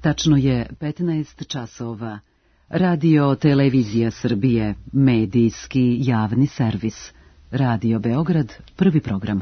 Tačno je 15 časova. Radio Televizija Srbije, medijski javni servis. Radio Beograd, prvi program.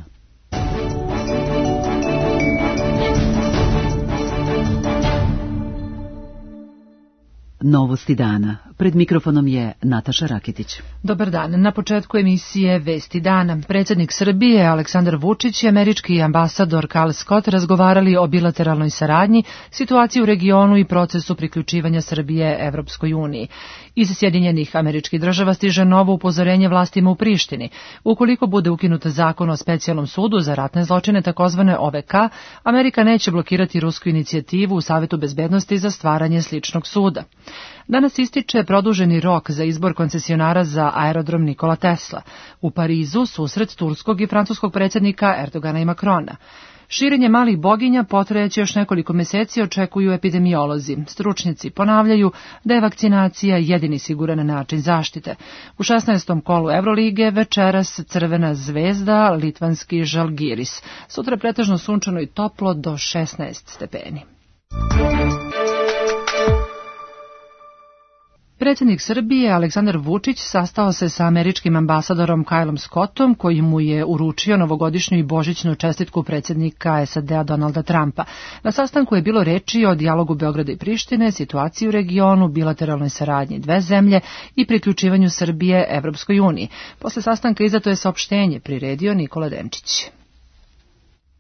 Novosti dana. Pred mikrofonom je Nataša Raketić. Dobar dan. Na početku emisije Vesti dana. Predsjednik Srbije Aleksandar Vučić i američki ambasador Kal Scott razgovarali o bilateralnoj saradnji, situaciji u regionu i procesu priključivanja Srbije Evropskoj uniji. Iz Sjedinjenih Američkih Država stiže novo upozorenje vlastima u Prištini. Ukoliko bude ukinut zakon o specijalnom sudu za ratne zločine, takozvane OVK, Amerika neće blokirati rusku inicijativu u Savetu bezbednosti za stvaranje sličnog suda. Danas ističe produženi rok za izbor koncesionara za aerodrom Nikola Tesla. U Parizu susret turskog i francuskog predsjednika Erdogana i Makrona. Širenje malih boginja potrajaće još nekoliko meseci, očekuju epidemiolozi. Stručnjaci ponavljaju da je vakcinacija jedini siguran način zaštite. U 16. kolu Evrolige večeras Crvena zvezda, litvanski Žalgiris. Sutra pretežno sunčano i toplo do 16 stepeni. Predsjednik Srbije Aleksandar Vučić sastao se sa američkim ambasadorom Kylom Scottom, koji mu je uručio novogodišnju i božićnu čestitku predsjednika SAD-a Donalda Trumpa. Na sastanku je bilo reči o dijalogu Beograda i Prištine, situaciji u regionu, bilateralnoj saradnji dve zemlje i priključivanju Srbije Evropskoj uniji. Posle sastanka izdato je saopštenje, priredio Nikola Denčić.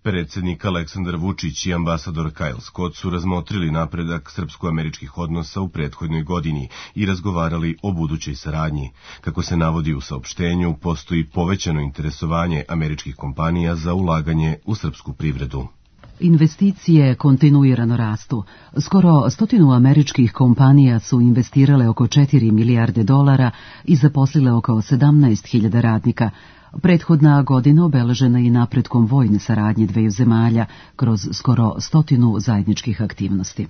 Predsjednik Aleksandar Vučić i ambasador Kyle Scott su razmotrili napredak srpsko-američkih odnosa u prethodnoj godini i razgovarali o budućoj saradnji. Kako se navodi u saopštenju, postoji povećano interesovanje američkih kompanija za ulaganje u srpsku privredu. Investicije kontinuirano rastu. Skoro 100 američkih kompanija su investirale oko 4 milijarde dolara i zaposlile oko 17.000 radnika. Prethodna godina obeležena i napretkom vojne saradnje dveju zemalja kroz skoro 100 zajedničkih aktivnosti.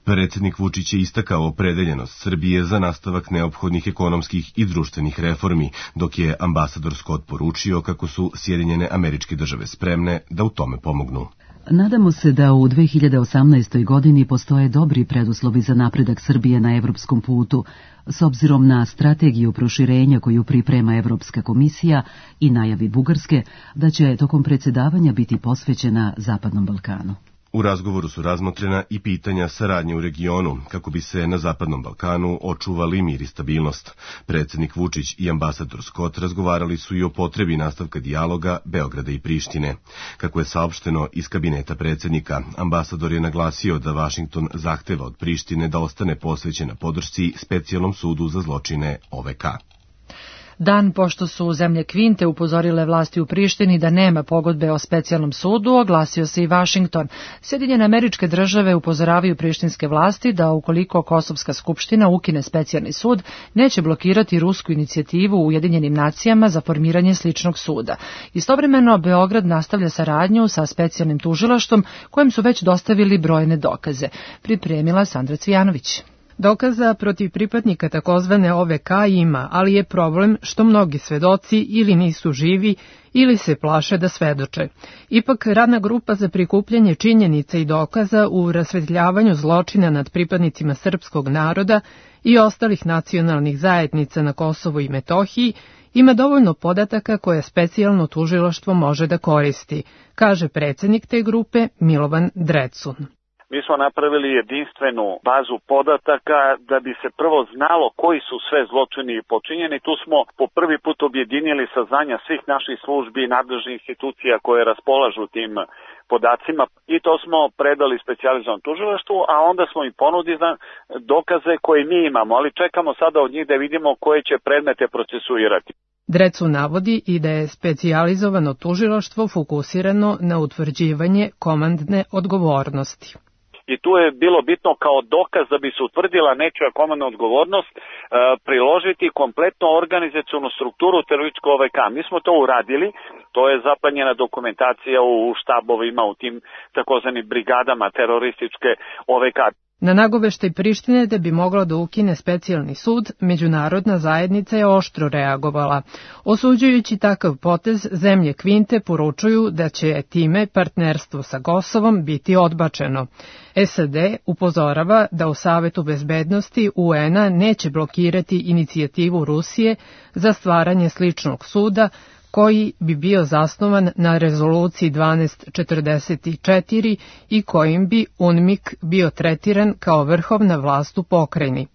Predsjednik Vučić je istakao opredeljenost Srbije za nastavak neophodnih ekonomskih i društvenih reformi, dok je ambasador Scott poručio kako su Sjedinjene Američke Države spremne da u tome pomognu. Nadamo se da u 2018. godini postoje dobri preduslovi za napredak Srbije na evropskom putu, s obzirom na strategiju proširenja koju priprema Evropska komisija i najavi Bugarske da će tokom predsjedavanja biti posvećena Zapadnom Balkanu. U razgovoru su razmotrena i pitanja saradnje u regionu, kako bi se na Zapadnom Balkanu očuvali mir i stabilnost. Predsjednik Vučić i ambasador Scott razgovarali su i o potrebi nastavka dijaloga Beograda i Prištine. Kako je saopšteno iz kabineta predsjednika, ambasador je naglasio da Vašington zahteva od Prištine da ostane posvećena podršci specijalnom sudu za zločine OVK. Dan pošto su zemlje Kvinte upozorile vlasti u Prištini da nema pogodbe o specijalnom sudu, oglasio se i Vašington. Sjedinjene Američke Države upozoravaju prištinske vlasti da ukoliko Kosovska skupština ukine specijalni sud, neće blokirati rusku inicijativu u Ujedinjenim nacijama za formiranje sličnog suda. Istovremeno, Beograd nastavlja saradnju sa specijalnim tužilaštvom kojem su već dostavili brojne dokaze. Pripremila Sandra Cvijanović. Dokaza protiv pripadnika takozvane OVK ima, ali je problem što mnogi svedoci ili nisu živi ili se plaše da svedoče. Ipak, radna grupa za prikupljanje činjenica i dokaza u rasvetljavanju zločina nad pripadnicima srpskog naroda i ostalih nacionalnih zajednica na Kosovu i Metohiji ima dovoljno podataka koje specijalno tužilaštvo može da koristi, kaže predsjednik te grupe Milovan Drecun. Mi smo napravili jedinstvenu bazu podataka da bi se prvo znalo koji su sve zločini počinjeni. Tu smo po prvi put objedinili saznanja svih naših službi i nadležnih institucija koje raspolažu tim podacima i to smo predali specijalizovanom tužilaštvu, a onda smo im ponudili dokaze koje mi imamo, ali čekamo sada od njih da vidimo koje će predmete procesuirati. Drecu navodi i da je specijalizovano tužilaštvo fokusirano na utvrđivanje komandne odgovornosti. I tu je bilo bitno kao dokaz da bi se utvrdila nečija komandna odgovornost priložiti kompletnu organizacionu strukturu terorističkog OVK. Mi smo to uradili, to je zaplanjena dokumentacija u štabovima, u tim takozvanim brigadama terorističke OVK. Na nagoveštaj Prištine da bi mogla da ukine specijalni sud, međunarodna zajednica je oštro reagovala. Osuđujući takav potez, zemlje Kvinte poručuju da će time partnerstvo sa Kosovom biti odbačeno. SAD upozorava da u Savetu bezbednosti UN-a neće blokirati inicijativu Rusije za stvaranje sličnog suda, koji bi bio zasnovan na rezoluciji 1244 i kojim bi UNMIK bio tretiran kao vrhovna vlast u pokrajini.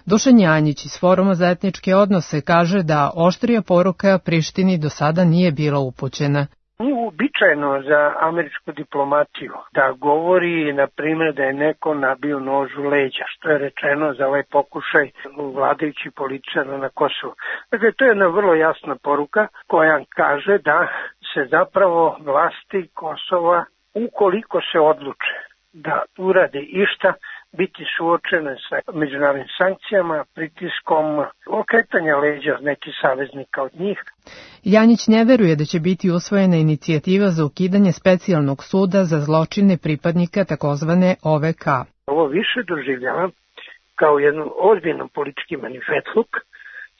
Dušan Janjić iz Foruma za etničke odnose kaže da oštrija poruka Prištini do sada nije bila upućena. Nije uobičajeno za američku diplomatiju da govori, na primjer, da je neko nabio nož u leđa, što je rečeno za ovaj pokušaj vladajućih političara na Kosovu. Dakle, to je jedna vrlo jasna poruka koja kaže da se zapravo vlasti Kosova, ukoliko se odluče da urade išta, biti suočene sa međunarodnim sankcijama, pritiskom, okretanja leđa nekih saveznika od njih. Janjić ne veruje da će biti usvojena inicijativa za ukidanje specijalnog suda za zločine pripadnika takozvane OVK. Ovo više doživljavam kao jedan ozbiljan politički manifetluk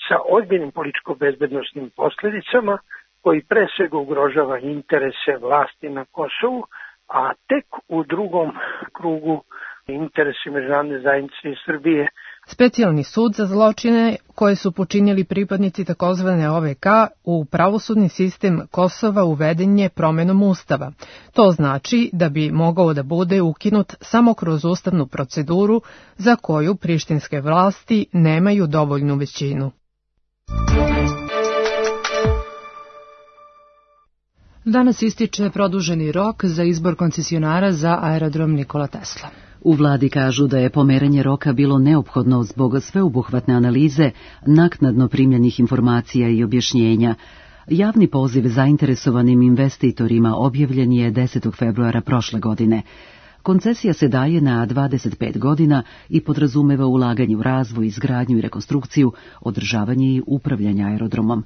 sa ozbiljnim političko-bezbednostnim posljedicama koji pre svega ugrožava interese vlasti na Kosovu, a tek u drugom krugu interesi međunarodne zajednice i Srbije. Specijalni sud za zločine koje su počinili pripadnici takozvane OVK u pravosudni sistem Kosova uveden je promenom Ustava. To znači da bi mogao da bude ukinut samo kroz ustavnu proceduru za koju prištinske vlasti nemaju dovoljnu većinu. Danas ističe produženi rok za izbor koncesionara za aerodrom Nikola Tesla. U vladi kažu da je pomeranje roka bilo neophodno zbog sveobuhvatne analize, naknadno primljenih informacija i objašnjenja. Javni poziv zainteresovanim investitorima objavljen je 10. februara prošle godine. Koncesija se daje na 25 godina i podrazumeva ulaganje u razvoj, izgradnju i rekonstrukciju, održavanje i upravljanje aerodromom.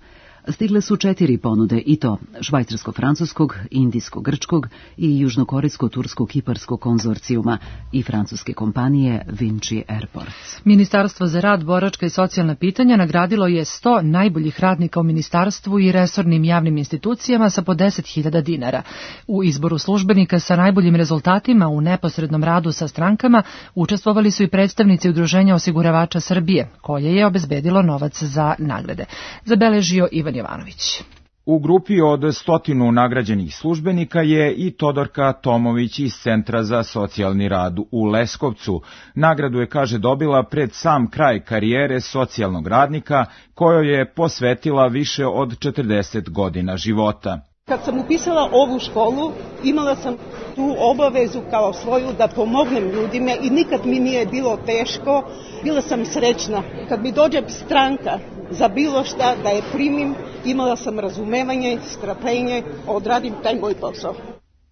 Stigle su 4 ponude i to švajcarsko-francuskog, indijsko-grčkog i južnokorejsko-tursko-kiparskog konzorcijuma i francuske kompanije Vinci Airports. Ministarstvo za rad, boračka i socijalna pitanja nagradilo je 100 najboljih radnika u ministarstvu i resornim javnim institucijama sa po 10.000 dinara. U izboru službenika sa najboljim rezultatima u neposrednom radu sa strankama učestvovali su i predstavnici Udruženja osiguravača Srbije, koje je obezbedilo novac za nagrade. Zabeležio Ivan Jovanović. U grupi od 100 nagrađenih službenika je i Todorka Tomović iz Centra za socijalni rad u Leskovcu. Nagradu je, kaže, dobila pred sam kraj karijere socijalnog radnika, kojoj je posvetila više od 40 godina života. Kad sam upisala ovu školu, imala sam tu obavezu kao svoju da pomognem ljudima i nikad mi nije bilo teško. Bila sam srećna. Kad mi dođe stranka za bilo šta da je primim, imala sam razumevanje, strpljenje, odradim taj moj posao.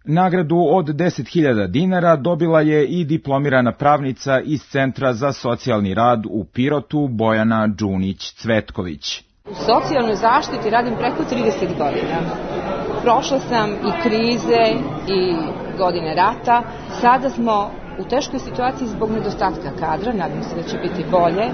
Nagradu od 10.000 dinara dobila je i diplomirana pravnica iz Centra za socijalni rad u Pirotu Bojana Đunić-Cvetković. U socijalnoj zaštiti radim preko 30 godina. Prošla sam i krize i godine rata. Sada smo u teškoj situaciji zbog nedostatka kadra. Nadam se da će biti bolje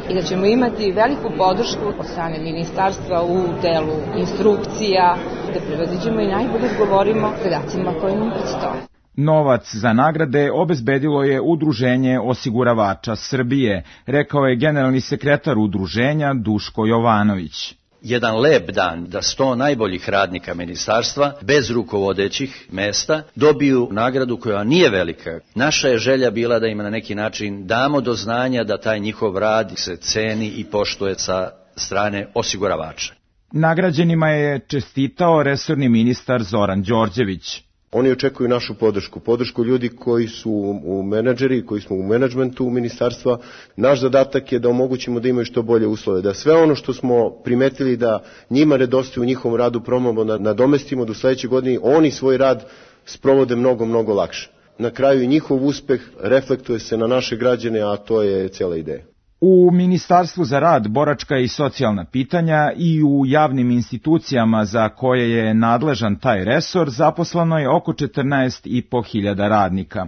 i da ćemo imati veliku podršku od strane ministarstva u delu instrukcija, da prevaziđemo i najbolje odgovorimo zadacima koji nam predstoje. Novac za nagrade obezbedilo je Udruženje osiguravača Srbije, rekao je generalni sekretar udruženja Duško Jovanović. Jedan lep dan da 100 najboljih radnika ministarstva, bez rukovodećih mesta, dobiju nagradu koja nije velika. Naša je želja bila da im na neki način damo do znanja da taj njihov rad se ceni i poštuje sa strane osiguravača. Nagrađenima je čestitao resorni ministar Zoran Đorđević. Oni očekuju našu podršku ljudi koji su u menadžeri, koji smo u menadžmentu ministarstva. Naš zadatak je da omogućimo da imaju što bolje uslove, da sve ono što smo primetili da njima nedostaje u njihovom radu probamo nadomestimo do sledeće godine, oni svoj rad sprovode mnogo lakše. Na kraju i njihov uspeh reflektuje se na naše građane, a to je cijela ideja. U Ministarstvu za rad, boračka i socijalna pitanja i u javnim institucijama za koje je nadležan taj resor zaposleno je oko 14.500 radnika.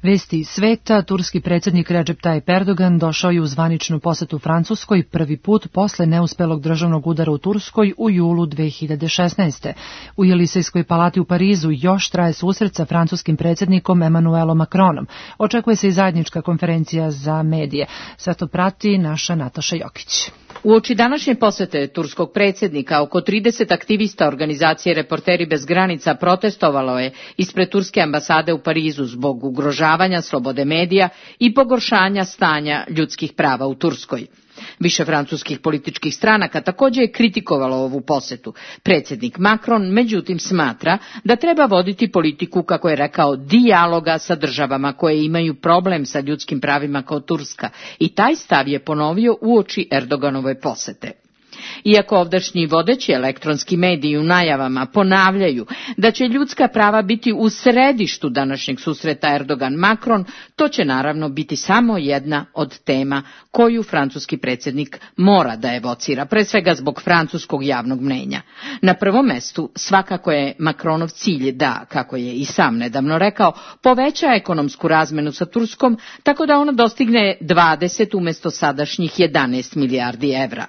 Vesti sveta, turski predsjednik Recep Tayyip Erdogan došao je u zvaničnu posetu Francuskoj prvi put posle neuspelog državnog udara u Turskoj u julu 2016. U Jelisejskoj palati u Parizu još traje susret sa francuskim predsjednikom Emmanuelom Macronom. Očekuje se i zajednička konferencija za medije. Sve to prati naša Nataša Jokić. Uoči današnje posete turskog predsjednika, oko 30 aktivista organizacije Reporteri bez granica protestovalo je ispred turske ambasade u Parizu zbog ugrožavanja slobode medija i pogoršanja stanja ljudskih prava u Turskoj. Više francuskih političkih stranaka također je kritikovalo ovu posetu. Predsjednik Macron međutim smatra da treba voditi politiku, kako je rekao, dijaloga sa državama koje imaju problem sa ljudskim pravima kao Turska, i taj stav je ponovio uoči Erdoganove posete. Iako ovdašnji vodeći elektronski mediji u najavama ponavljaju da će ljudska prava biti u središtu današnjeg susreta Erdogan-Macron, to će naravno biti samo jedna od tema koju francuski predsjednik mora da evocira, pre svega zbog francuskog javnog mnenja. Na prvom mestu svakako je Macronov cilj da, kako je i sam nedavno rekao, poveća ekonomsku razmenu sa Turskom tako da ona dostigne 20 umjesto sadašnjih 11 milijardi evra.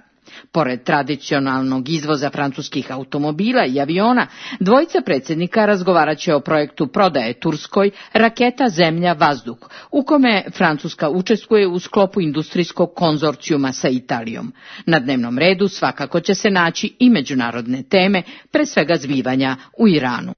Pored tradicionalnog izvoza francuskih automobila i aviona, dvojica predsjednika razgovarat će o projektu prodaje Turskoj raketa Zemlja-vazduh, u kome Francuska učestvuje u sklopu industrijskog konzorcijuma sa Italijom. Na dnevnom redu svakako će se naći i međunarodne teme, pre svega zbivanja u Iranu.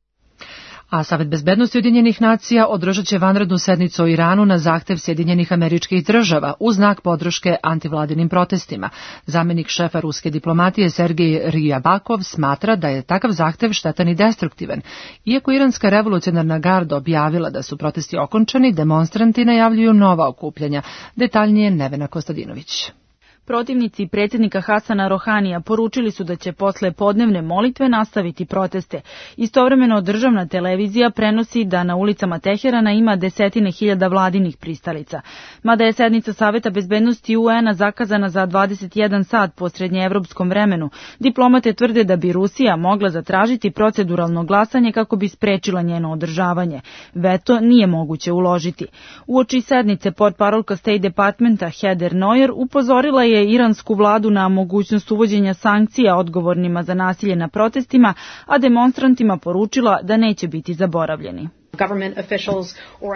A Savet bezbednosti Ujedinjenih nacija održat će vanrednu sednicu o Iranu na zahtev Sjedinjenih Američkih Država u znak podrške antivladinim protestima. Zamjenik šefa ruske diplomatije Sergej Ryabakov smatra da je takav zahtev štetan i destruktivan. Iako Iranska revolucionarna garda objavila da su protesti okončani, demonstranti najavljuju nova okupljanja. Detaljnije Nevena Kostadinović. Protivnici predsjednika Hasana Rohanija poručili su da će posle podnevne molitve nastaviti proteste. Istovremeno državna televizija prenosi da na ulicama Teherana ima desetine hiljada vladinih pristalica. Mada je sednica Saveta bezbednosti UN-a zakazana za 21 sat po srednjeevropskom vremenu, diplomate tvrde da bi Rusija mogla zatražiti proceduralno glasanje kako bi sprečila njeno održavanje. Veto nije moguće uložiti. Uoči sednice portparolka State Departmenta Heather Nauert upozorila je iransku vladu na mogućnost uvođenja sankcija odgovornima za nasilje na protestima, a demonstrantima poručila da neće biti zaboravljeni.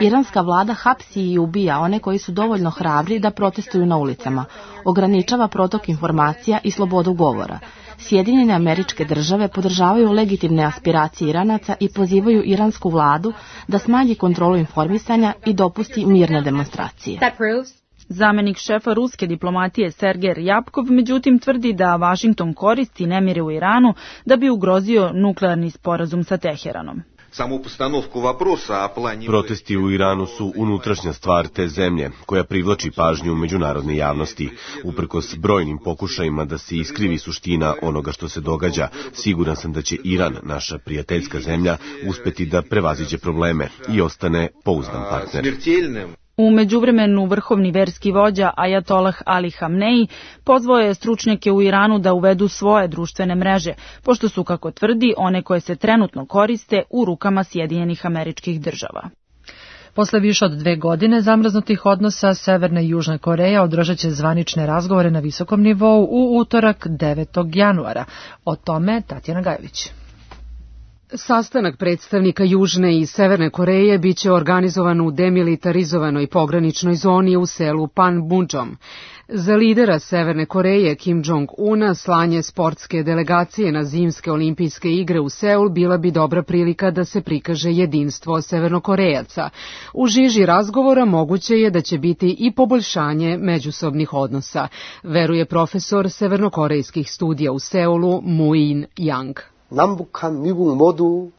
Iranska vlada hapsi i ubija one koji su dovoljno hrabri da protestuju na ulicama, ograničava protok informacija i slobodu govora. Sjedinjene Američke Države podržavaju legitimne aspiracije Iranaca i pozivaju iransku vladu da smanji kontrolu informisanja i dopusti mirne demonstracije. Zamjenik šefa ruske diplomatije Sergej Ryabkov međutim tvrdi da Vašington koristi nemire u Iranu da bi ugrozio nuklearni sporazum sa Teheranom. Protesti u Iranu su unutrašnja stvar te zemlje, koja privlači pažnju međunarodne javnosti. Uprkos brojnim pokušajima da se iskrivi suština onoga što se događa, siguran sam da će Iran, naša prijateljska zemlja, uspeti da prevaziđe probleme i ostane pouzdan partner. U međuvremenu vrhovni verski vođa Ajatolah Ali Hamneji pozvao je stručnjake u Iranu da uvedu svoje društvene mreže, pošto su, kako tvrdi, one koje se trenutno koriste u rukama Sjedinjenih Američkih Država. Posle više od 2 godine zamrznutih odnosa Severna i Južna Koreja održat će zvanične razgovore na visokom nivou u utorak 9. januara. O tome Tatjana Gajević. Sastanak predstavnika Južne i Severne Koreje biće organizovan u demilitarizovanoj pograničnoj zoni u selu Panmunjom. Za lidera Severne Koreje Kim Jong-una slanje sportske delegacije na zimske olimpijske igre u Seul bila bi dobra prilika da se prikaže jedinstvo Severnokorejaca. U žiži razgovora moguće je da će biti i poboljšanje međusobnih odnosa, veruje profesor severnokorejskih studija u Seulu Moon Yang.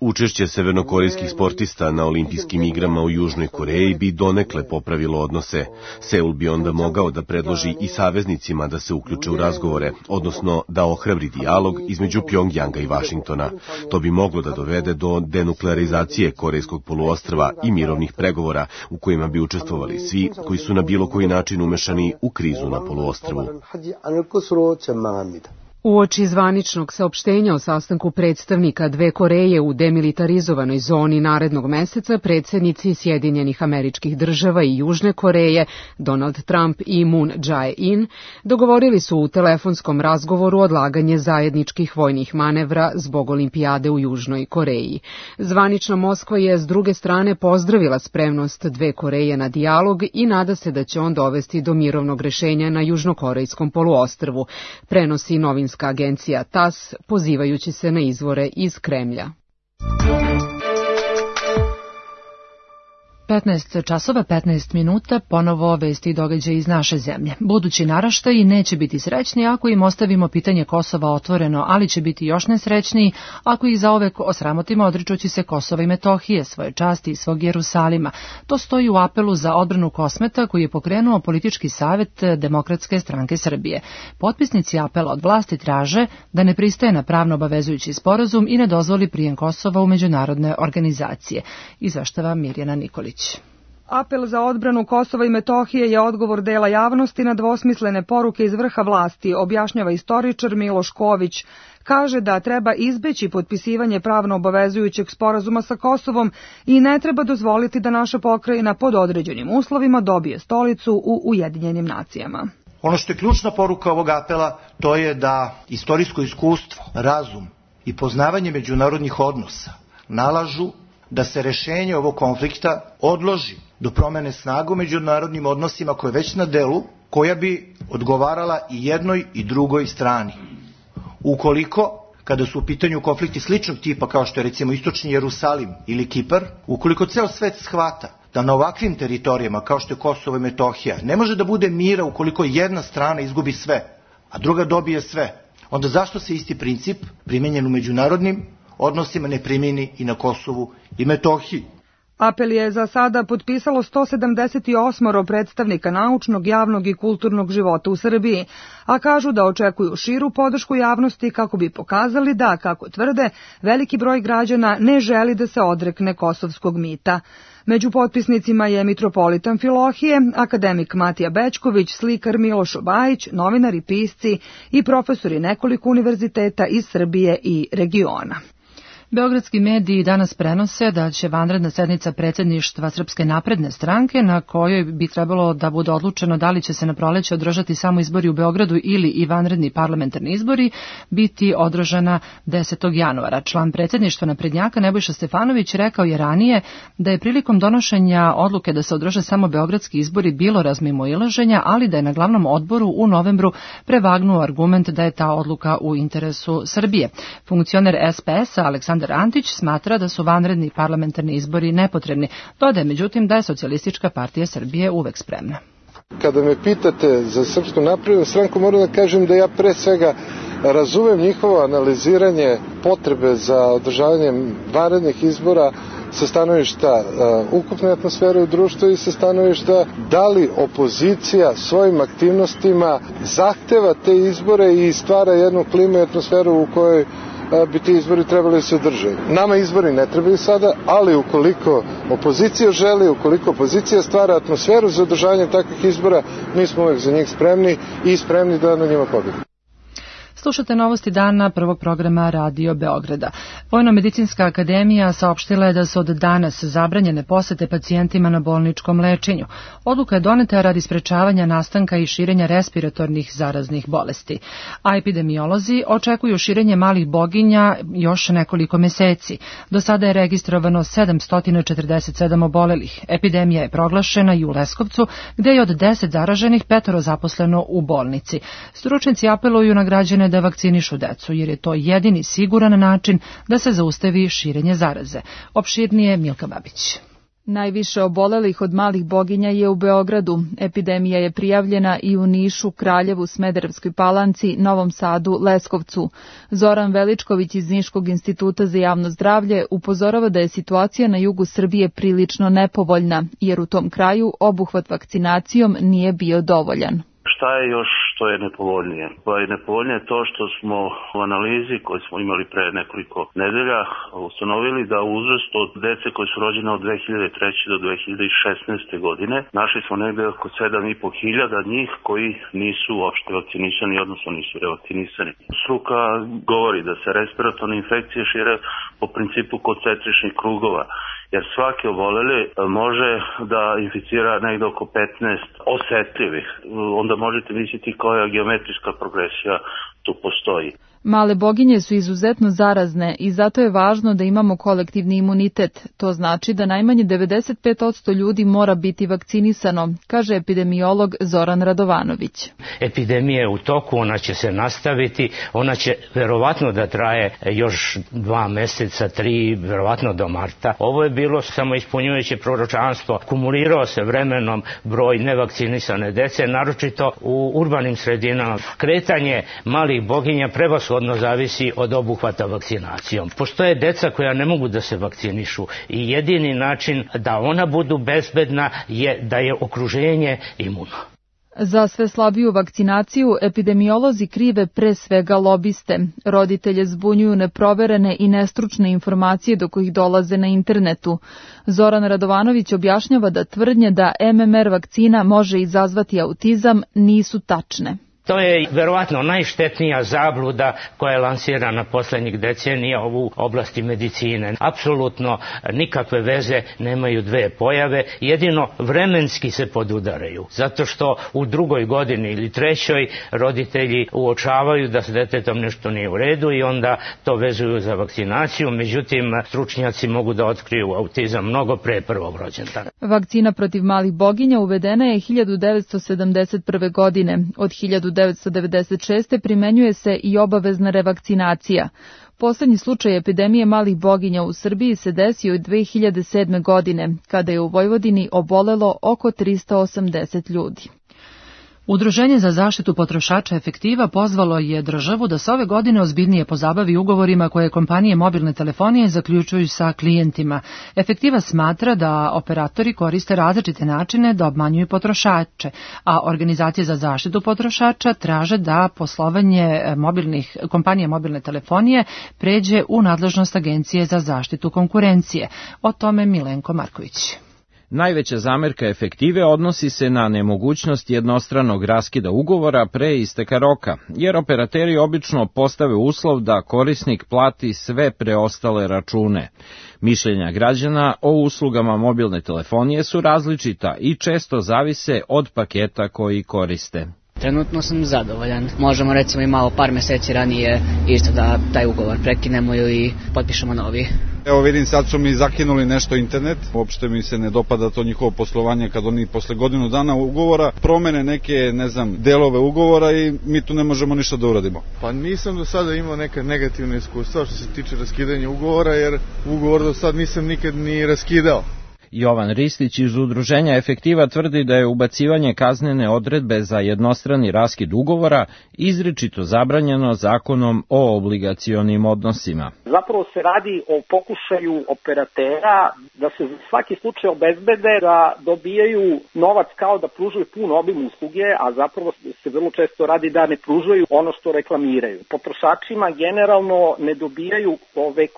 Učešće severnokorejskih sportista na olimpijskim igrama u Južnoj Koreji bi donekle popravilo odnose. Seul bi onda mogao da predloži i saveznicima da se uključe u razgovore, odnosno da ohrabri dijalog između Pjongjanga i Vašingtona. To bi moglo da dovede do denuklearizacije Korejskog poluostrva i mirovnih pregovora u kojima bi učestvovali svi koji su na bilo koji način umešani u krizu na poluostrvu. Uoči zvaničnog saopštenja o sastanku predstavnika dve Koreje u demilitarizovanoj zoni narednog meseca, predsjednici Sjedinjenih Američkih Država i Južne Koreje, Donald Trump i Moon Jae-in, dogovorili su u telefonskom razgovoru odlaganje zajedničkih vojnih manevra zbog olimpijade u Južnoj Koreji. Zvanična Moskva je s druge strane pozdravila spremnost dve Koreje na dijalog i nada se da će on dovesti do mirovnog rešenja na južnokorejskom poluostrvu, prenosi novinska agencija TASS, pozivajući se na izvore iz Kremlja. 15 časova, 15 minuta, ponovo vesti i događaje iz naše zemlje. Budući naraštaji neće biti srećni ako im ostavimo pitanje Kosova otvoreno, ali će biti još nesrećniji ako ih zaovek osramotimo odričući se Kosova i Metohije, svoje časti i svog Jerusalima. To stoji u apelu za odbranu Kosmeta koji je pokrenuo politički savjet Demokratske stranke Srbije. Potpisnici apela od vlasti traže da ne pristaje na pravno obavezujući sporazum i ne dozvoli prijem Kosova u međunarodne organizacije. Izveštava Mirjana Nikolić. Apel za odbranu Kosova i Metohije je odgovor dela javnosti na dvosmislene poruke iz vrha vlasti, objašnjava istoričar Miloš Ković. Kaže da treba izbeći potpisivanje pravno obavezujućeg sporazuma sa Kosovom i ne treba dozvoliti da naša pokrajina pod određenim uslovima dobije stolicu u Ujedinjenim nacijama. Ono što je ključna poruka ovog apela, to je da istorijsko iskustvo, razum i poznavanje međunarodnih odnosa nalažu da se rešenje ovog konflikta odloži do promene snaga u međunarodnim odnosima koja je već na delu, koja bi odgovarala i jednoj i drugoj strani. Ukoliko, kada su u pitanju konflikti sličnog tipa kao što je recimo Istočni Jerusalim ili Kipar, ukoliko ceo svet shvata da na ovakvim teritorijama kao što je Kosovo i Metohija ne može da bude mira ukoliko jedna strana izgubi sve, a druga dobije sve, onda zašto se isti princip primenjen u međunarodnim odnosima ne primjeni i na Kosovu i Metohiji? Apel je za sada potpisalo 178 predstavnika naučnog, javnog i kulturnog života u Srbiji, a kažu da očekuju širu podršku javnosti kako bi pokazali da, kako tvrde, veliki broj građana ne želi da se odrekne kosovskog mita. Među potpisnicima je mitropolit Amfilohije, akademik Matija Bećković, slikar Miloš Obajić, novinari, pisci i profesori nekoliko univerziteta iz Srbije i regiona. Beogradski mediji danas prenose da će vanredna sednica predsjedništva Srpske napredne stranke, na kojoj bi trebalo da bude odlučeno da li će se na proleće održati samo izbori u Beogradu ili i vanredni parlamentarni izbori, biti održana 10. januara. Član predsjedništva naprednjaka Nebojša Stefanović rekao je ranije da je prilikom donošenja odluke da se održe samo beogradski izbori bilo razmimoilaženja, ali da je na glavnom odboru u novembru prevagnuo argument da je ta odluka u interesu Srbije. Funkcioner SPS-a Aleksandar Antić smatra da su vanredni parlamentarni izbori nepotrebni. Dodaje međutim da je Socijalistička partija Srbije uvek spremna. Kada me pitate za Srpsku naprednu stranku, moram da kažem da ja pre svega razumem njihovo analiziranje potrebe za održavanjem vanrednih izbora sa stanovišta ukupne atmosfere u društvu i sa stanovišta da li opozicija svojim aktivnostima zahteva te izbore i stvara jednu klimu i atmosferu u kojoj bi ti izbori trebali se održati. Nama izbori ne trebaju sada, ali ukoliko opozicija želi, ukoliko opozicija stvara atmosferu za održavanje takvih izbora, mi smo uvek za njih spremni i spremni da na njima pobedimo. Slušate novosti dana prvog programa Radio Beograda. Vojno-medicinska akademija saopštila je da su od danas zabranjene posete pacijentima na bolničkom lečenju. Odluka je doneta radi sprečavanja nastanka i širenja respiratornih zaraznih bolesti. A epidemiolozi očekuju širenje malih boginja još nekoliko meseci. Do sada je registrovano 747 obolelih. Epidemija je proglašena i u Leskovcu, gde je od 10 zaraženih 5 zaposleno u bolnici. Stručnjaci apeluju na građane da vakcinišu decu, jer je to jedini siguran način da se zaustavi širenje zaraze. Opširnije Milka Babić. Najviše obolelih od malih boginja je u Beogradu. Epidemija je prijavljena i u Nišu, Kraljevu, Smederevskoj Palanci, Novom Sadu, Leskovcu. Zoran Veličković iz Niškog instituta za javno zdravlje upozorava da je situacija na jugu Srbije prilično nepovoljna, jer u tom kraju obuhvat vakcinacijom nije bio dovoljan. Šta je još što je nepovoljnije. Pa je nepovoljnije to što smo u analizi koju smo imali pre nekoliko nedelja ustanovili da u uzrastu od dece koji su rođene od 2003. do 2016. godine našli smo negde oko 7.500 njih koji nisu uopšte vakcinisani, odnosno nisu revakcinisani. Struka govori da se respiratorne infekcije šire po principu koncentričnih krugova, jer svaki oboleli može da inficira negde oko 15 osetljivih. Onda možete misliti koja geometrijska progresija tu postoji. Male boginje su izuzetno zarazne i zato je važno da imamo kolektivni imunitet. To znači da najmanje 95% ljudi mora biti vakcinisano, kaže epidemiolog Zoran Radovanović. Epidemija je u toku, ona će se nastaviti, ona će verovatno da traje još 2 meseca, 3, verovatno do marta. Ovo je bilo samo ispunjujuće proročanstvo. Kumulirao se vremenom broj nevakcinisane dece, naročito u urbanim sredinama. Kretanje malih boginja prevashodno zavisi od obuhvata vakcinacijom. Postoje deca koja ne mogu da se vakcinišu i jedini način da ona budu bezbedna je da je okruženje imuno. Za sve slabiju vakcinaciju epidemiolozi krive pre svega lobiste. Roditelje zbunjuju neproverene i nestručne informacije do kojih dolaze na internetu. Zoran Radovanović objašnjava da tvrdnje da MMR vakcina može izazvati autizam nisu tačne. To je verovatno najštetnija zabluda koja je lansirana poslednjih decenija u oblasti medicine. Apsolutno nikakve veze nemaju dve pojave, jedino vremenski se podudaraju. Zato što u 2. godini ili 3. roditelji uočavaju da s detetom nešto nije u redu i onda to vezuju za vakcinaciju. Međutim, stručnjaci mogu da otkriju autizam mnogo pre 1. rođendana. Vakcina protiv malih boginja uvedena je 1971. godine. Od 1996. primenjuje se i obavezna revakcinacija. Poslednji slučaj epidemije malih boginja u Srbiji se desio 2007. godine, kada je u Vojvodini obolelo oko 380 ljudi. Udruženje za zaštitu potrošača Efektiva pozvalo je državu da se ove godine ozbiljnije pozabavi ugovorima koje kompanije mobilne telefonije zaključuju sa klijentima. Efektiva smatra da operatori koriste različite načine da obmanjuju potrošače, a organizacije za zaštitu potrošača traže da poslovanje kompanije mobilne telefonije pređe u nadležnost Agencije za zaštitu konkurencije. O tome Milenko Marković. Najveća zamerka Efektive odnosi se na nemogućnost jednostranog raskida ugovora pre isteka roka, jer operateri obično postave uslov da korisnik plati sve preostale račune. Mišljenja građana o uslugama mobilne telefonije su različita i često zavise od paketa koji koriste. Trenutno sam zadovoljan. Možemo recimo i malo par meseci ranije isto da taj ugovor prekinemo ili potpišemo novi. Evo vidim, sad su mi zakinuli nešto internet, uopšte mi se ne dopada to njihovo poslovanje kad oni posle godinu dana ugovora promene neke, delove ugovora i mi tu ne možemo ništa da uradimo. Pa nisam do sada imao neka negativna iskustva što se tiče raskidanja ugovora, jer ugovor do sad nisam nikad ni raskidao. Jovan Ristić iz Udruženja Efektiva tvrdi da je ubacivanje kaznene odredbe za jednostrani raskid ugovora izričito zabranjeno Zakonom o obligacionim odnosima. Zapravo se radi o pokušaju operatera da se za svaki slučaj obezbede da dobijaju novac kao da pružaju pun obim usluge, a zapravo se vrlo često radi da ne pružaju ono što reklamiraju. Potrošačima generalno ne dobijaju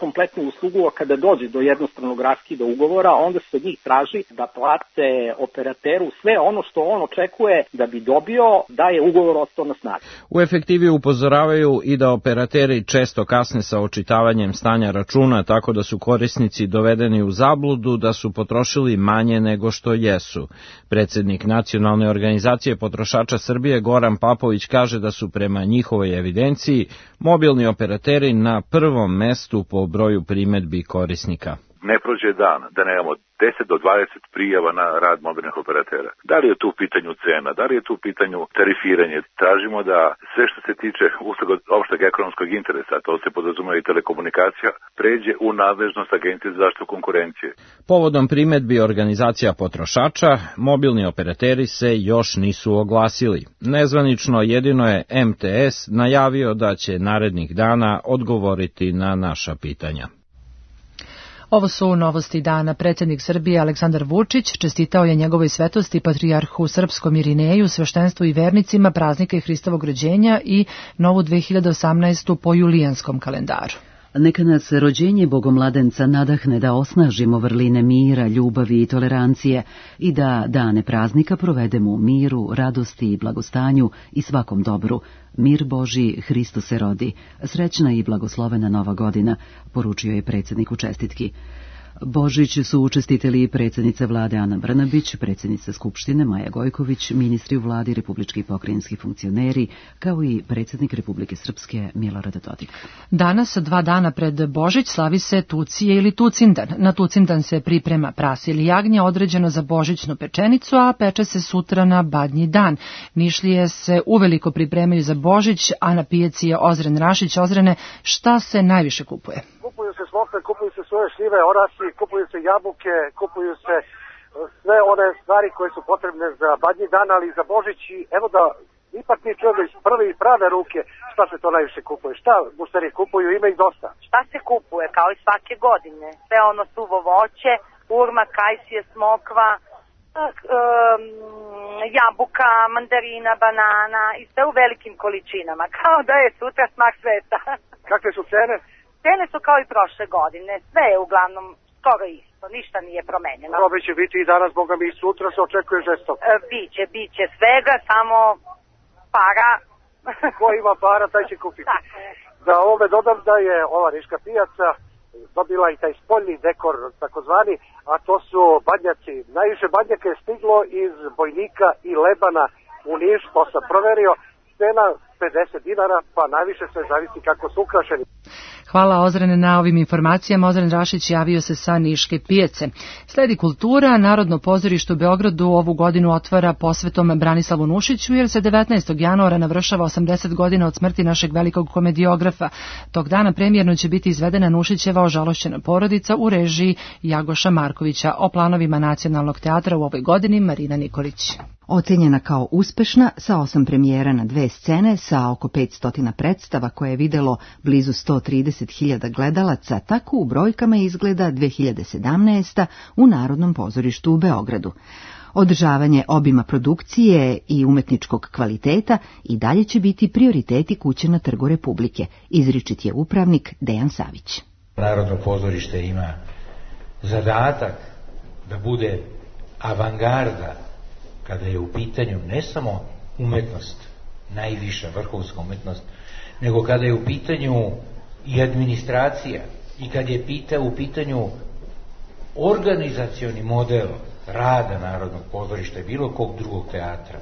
kompletnu uslugu, a kada dođe do jednostranog raskida ugovora, onda se od njih traži da plate operateru sve ono što on očekuje da bi dobio da je ugovor ostao na snazi. U Efektivi upozoravaju i da operateri često kasne sa očitavanjem stanja računa, tako da su korisnici dovedeni u zabludu da su potrošili manje nego što jesu. Predsednik Nacionalne organizacije potrošača Srbije Goran Papović kaže da su prema njihovoj evidenciji mobilni operateri na prvom mestu po broju primedbi korisnika. Ne prođe dan da nemamo 10 do 20 prijava na rad mobilnih operatera. Da li je tu u pitanju cena, da li je tu u pitanju tarifiranje? Tražimo da sve što se tiče usluga opšteg ekonomskog interesa, to se podrazumeva i telekomunikacija, pređe u nadležnost Agencije za zaštitu konkurencije. Povodom primedbi organizacija potrošača, mobilni operateri se još nisu oglasili. Nezvanično jedino je MTS najavio da će narednih dana odgovoriti na naša pitanja. Ovo su novosti dana. Predsjednik Srbije Aleksandar Vučić čestitao je njegovoj svetosti patrijarhu srpskom Irineju, sveštenstvu i vernicima praznika i Hristovog rođenja i novu 2018. po julijanskom kalendaru. Neka nas rođenje Bogomladenca nadahne da osnažimo vrline mira, ljubavi i tolerancije i da dane praznika provedemo u miru, radosti i blagostanju i svakom dobru. Mir Božji, Hristos se rodi. Srećna i blagoslovena nova godina, poručio je predsjednik u čestitki. Božić su učestiteli predsjednica vlade Ana Brnabić, predsjednica Skupštine Maja Gojković, ministri u vladi, republički i pokrajinski funkcioneri, kao i predsjednik Republike Srpske Milorad Dodik. Danas, 2 dana pred Božić, slavi se Tucije ili Tucindan. Na Tucindan se priprema prase ili jagnje određeno za božićnu pečenicu, a peče se sutra na Badnji dan. Nišlije se uveliko pripremaju za Božić, a na pijaci je Ozren Rašić. Ozrene, šta se najviše kupuje? Kupuju se smokve, kupuju se svoje šljive, orasi, kupuju se jabuke, kupuju se sve one stvari koje su potrebne za Badnji dan, ali i za Božić. I evo da ipak mi čujemo iz prve i prave ruke šta se to najviše kupuje. Šta mušteri kupuju, ima ih dosta. Šta se kupuje, kao i svake godine? Sve ono suvo voće, urma, kajsije, smokva, jabuka, mandarina, banana i sve u velikim količinama, kao da je sutra smak sveta. Kakve su cene? Cene su kao i prošle godine, sve je uglavnom skoro isto, ništa nije promenjeno. Robe će biti i danas, boga mi, i sutra se očekuje žestok. Biće svega, samo para. Ko ima para, taj će kupiti. Da ovome dodam da je ova Niška pijaca dobila i taj spoljni dekor, takozvani, a to su badnjaci. Najviše badnjaka je stiglo iz Bojnika i Lebana u Niš, to sam proverio, cena 50 dinara, pa najviše sve zavisi kako su ukrašeni. Hvala Ozrene na ovim informacijama. Ozren Rašić javio se sa Niške pijace. Sledi kultura. Narodno pozorište u Beogradu ovu godinu otvara posvetom Branislavu Nušiću, jer se 19. januara navršava 80 godina od smrti našeg velikog komediografa. Tog dana premijerno će biti izvedena Nušićeva Ožalošćena porodica u režiji Jagoša Markovića. O planovima Nacionalnog teatra u ovoj godini Marina Nikolić. Ocenjena kao uspešna, sa 8 premijera na 2 scene, sa oko 500 predstava koje je videlo blizu 130.000 gledalaca, tako u brojkama izgleda 2017. u Narodnom pozorištu u Beogradu. Održavanje obima produkcije i umetničkog kvaliteta i dalje će biti prioriteti kuće na Trgu Republike, izričit je upravnik Dejan Savić. Narodno pozorište ima zadatak da bude avangarda kada je u pitanju ne samo umetnost, najviša vrhunska umetnost, nego kada je u pitanju i administracija i kad je u pitanju organizacioni model rada Narodnog pozorišta i bilo kog drugog teatra.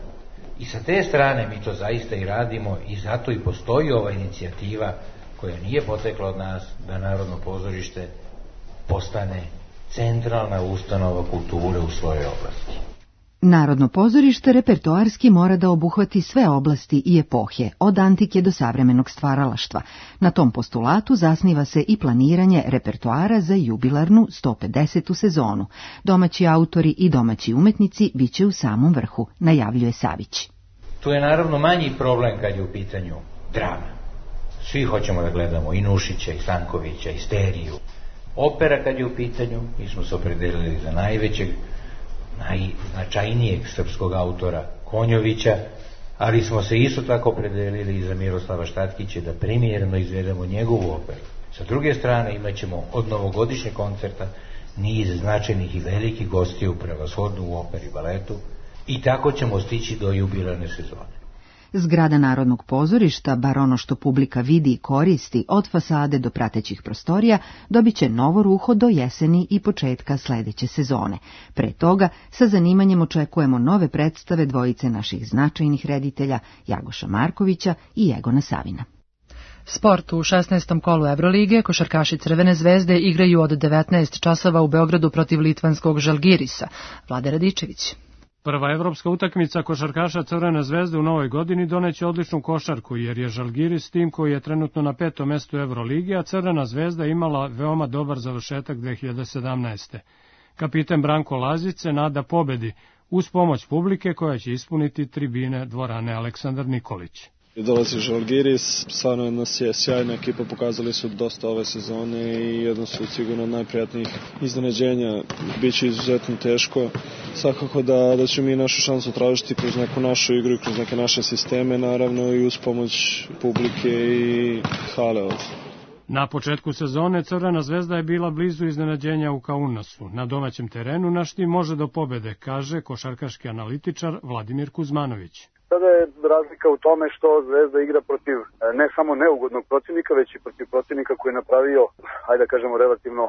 I sa te strane mi to zaista i radimo i zato i postoji ova inicijativa koja nije potekla od nas da Narodno pozorište postane centralna ustanova kulture u svojoj oblasti. Narodno pozorište repertoarski mora da obuhvati sve oblasti i epohe, od antike do savremenog stvaralaštva. Na tom postulatu zasniva se i planiranje repertoara za jubilarnu 150. sezonu. Domaći autori i domaći umetnici biće u samom vrhu, najavljuje Savić. Tu je naravno manji problem kad je u pitanju drama. Svi hoćemo da gledamo i Nušića, i Stankovića, i Steriju. Opera kad je u pitanju, mi smo se opredelili za najvećeg, najznačajnijeg srpskog autora Konjovića, ali smo se isto tako opredelili i za Miroslava Štatkića da premijerno izvedemo njegovu operu. Sa druge strane imat ćemo od novogodišnjeg koncerta niz značajnih i velikih gostiju, prevashodno u operi i baletu, i tako ćemo stići do jubilarne sezone. Zgrada Narodnog pozorišta, bar ono što publika vidi i koristi, od fasade do pratećih prostorija, dobit će novo ruho do jeseni i početka sledeće sezone. Pre toga, sa zanimanjem očekujemo nove predstave dvojice naših značajnih reditelja, Jagoša Markovića i Egona Savina. Sport. U 16. kolu Evrolige košarkaši Crvene zvezde igraju od 19 časova u Beogradu protiv litvanskog Žalgirisa. Vlade Radičević. Prva evropska utakmica košarkaša Crvene zvezde u novoj godini doneće odličnu košarku, jer je Žalgiris tim koji je trenutno na 5. mestu Evrolige, a Crvena zvezda imala veoma dobar završetak 2017. Kapiten Branko Lazić se nada pobedi uz pomoć publike koja će ispuniti tribine dvorane Aleksandar Nikolić. Dolazi Žalgiris, stvarno nas je sjajna ekipa, pokazali su dosta ove sezone i jedno su sigurno od najprijatnijih iznenađenja. Biće izuzetno teško, svakako da ćemo mi našu šansu tražiti kroz neku našu igru i kroz neke naše sisteme, naravno i uz pomoć publike i hale ovdje. Na početku sezone Crvena zvezda je bila blizu iznenađenja u Kaunasu. Na domaćem terenu naš tim može do pobede, kaže košarkaški analitičar Vladimir Kuzmanović. Sada je razlika u tome što Zvezda igra protiv ne samo neugodnog protivnika, već i protiv protivnika koji je napravio, ajde da kažemo, relativno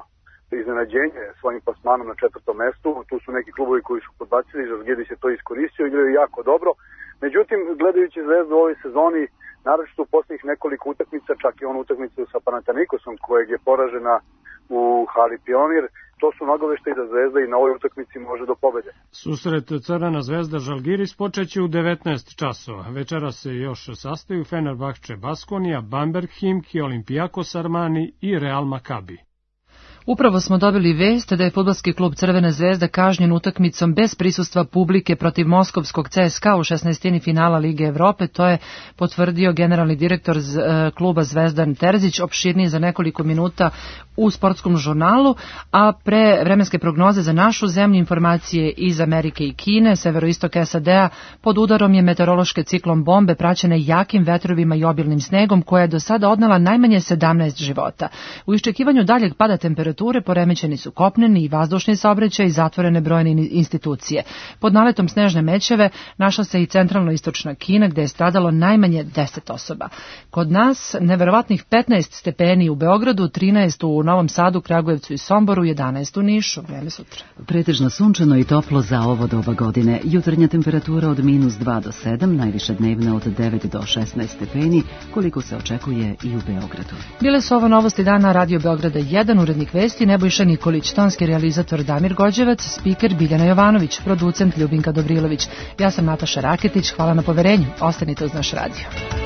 iznenađenje svojim plasmanom na 4. mestu. Tu su neki klubovi koji su podbacili, Žalgiris je to iskoristio, igraju jako dobro. Međutim, gledajući Zvezdu u ovoj sezoni, naročito u posljednjih nekoliko utakmica, čak i onu utakmicu sa Panathinaikosom kojeg je poražena u hali Pionir, to su nagoveštaji da Zvezda i na ovoj utakmici može do pobede. Susret Crvena zvezda Žalgiris počeće u 19 časova. Večera se još sastaju Fenerbahče Baskonija, Bamberg Himki, Olympiakos Armani i Real Makabi. Upravo smo dobili vest da je fudbalski klub Crvena zvezda kažnjen utakmicom bez prisustva publike protiv moskovskog CSKA u 16. finala Lige Evrope. To je potvrdio generalni direktor kluba Zvezdan Terzić, opširnije za nekoliko minuta u sportskom žurnalu, a pre vremenske prognoze za našu zemlju, informacije iz Amerike i Kine, severoistok SAD-a, pod udarom je meteorološke ciklon bombe praćene jakim vetrovima i obilnim snegom, koja je do sada odnela najmanje 17 života. U iščekivanju daljeg pada temperature poremećeni su kopneni i vazdušni saobraćaj i zatvorene brojne institucije. Pod naletom snežne mećave našla se i centralno-istočna Kina, gde je stradalo najmanje 10 osoba. Kod nas neverovatnih 15 stepeni u Beogradu, 13 u Novom Sadu, Kragujevcu i Somboru, 11 u Nišu. Vreme sutra. Pretežno sunčano i toplo za ovo doba godine. Jutarnja temperatura od -2 do 7, najviša dnevna od 9 do 16 stepeni, koliko se očekuje i u Beogradu. Bile su ovo novosti dana Radio Beograda 1, urednik vesti Nebojša Nikolić, tonski realizator Damir Gođevac, spiker Biljana Jovanović, producent Ljubinka Dobrilović. Ja sam Nataša Raketić, hvala na poverenju. Ostanite uz naš radio.